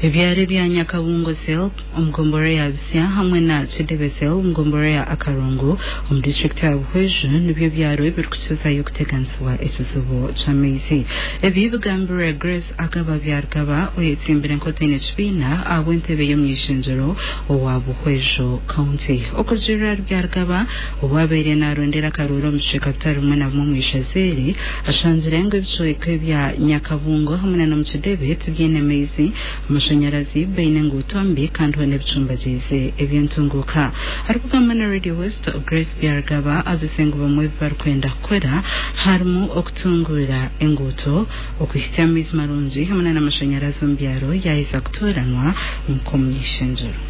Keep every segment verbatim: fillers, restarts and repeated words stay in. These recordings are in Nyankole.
Ebyaro ebya Nyakabungo Cell omu gombolola ya Bisya hamwe na Kidebe Cell omu gombolola ya Akarungu omu disiturikiti ya Buhweju nibyo byaro ebirikukizayo kuteganisibwa ekizibu ky'amaizi. Ebi bigambirwe Grace Agaba Byarugaba, oyetsimbire nk'otaine kibiina ahabw'entebe y'omuny'ishengyero owa Buhweju County. Okurugiirira ahari Byarugaba, obu abaire narondera akaruuru omu bicweka bitari bimwe na bimwe omu ishaza eri, ashangire ngu ebicweka ebya Nyakabungo hamwe na n'omu Kidebe tibyine maizi, amashanyarazi, baine enguuto mbi kandi hoona ebicumbagiize eby'entunguuka. Arikugamba na Radio West, Grace Byarugaba agizire ngu bamwe ebi barikwenda kukora harimu okutunguura enguuto, okuhitsya amaizi marungi hamwe n'amashanyarazi omu byaro yaaheza kutooranwa nk'omuny'ishengyero.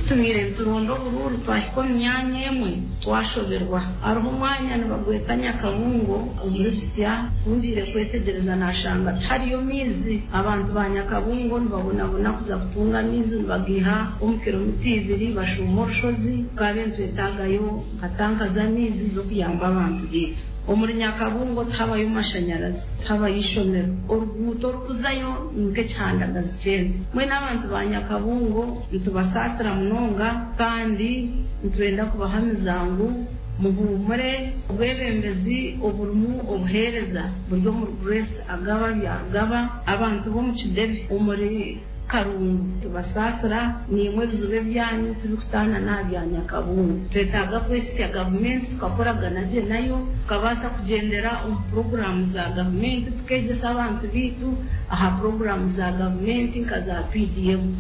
Tubaire nituronda oburuuru, twahika omu myanya emwe twashoberwa. Hariho omwanya nibagweta Nyakabungo omuri Bisya. Ku ngiire kwetegyereza nashanga tihariyo maizi. Abantu ba Nyakabungo nibabonabona kuza kutunga amaizi, nibagaiha omu kilomita ibiri bashuuma orushozi. Tukabe nitwetaagayo nka tanka z'amaizi z'okuyamba abantu baitu. Omuri Nyakabungo tihabayo mashanyarazi, tihabayo ishomero, oruguuto orukuzayo nk'ekihandagazi ky'ente. Mbwenu abantu ba Nyakabungo nitubasaasira munonga kandi nitwenda kubahamiza ngu muhuumure, obwebembezi oburimu obuheereza buri omuri Grace Agaba Byarugaba. Abantu b'omu Kidebe omuri Karungu tubasaasira, nimwe ebizibu ebyanyu tibikutaana n'aha bya Nyakabungo. Twetaaga kwesya gavumenti, tukakoragana gye nayo, tukabaasa kugyendera omu puroguraamu za gavumenti, tukeegyesa abantu baitu aha puroguraamu za gavumenti nka za P D M.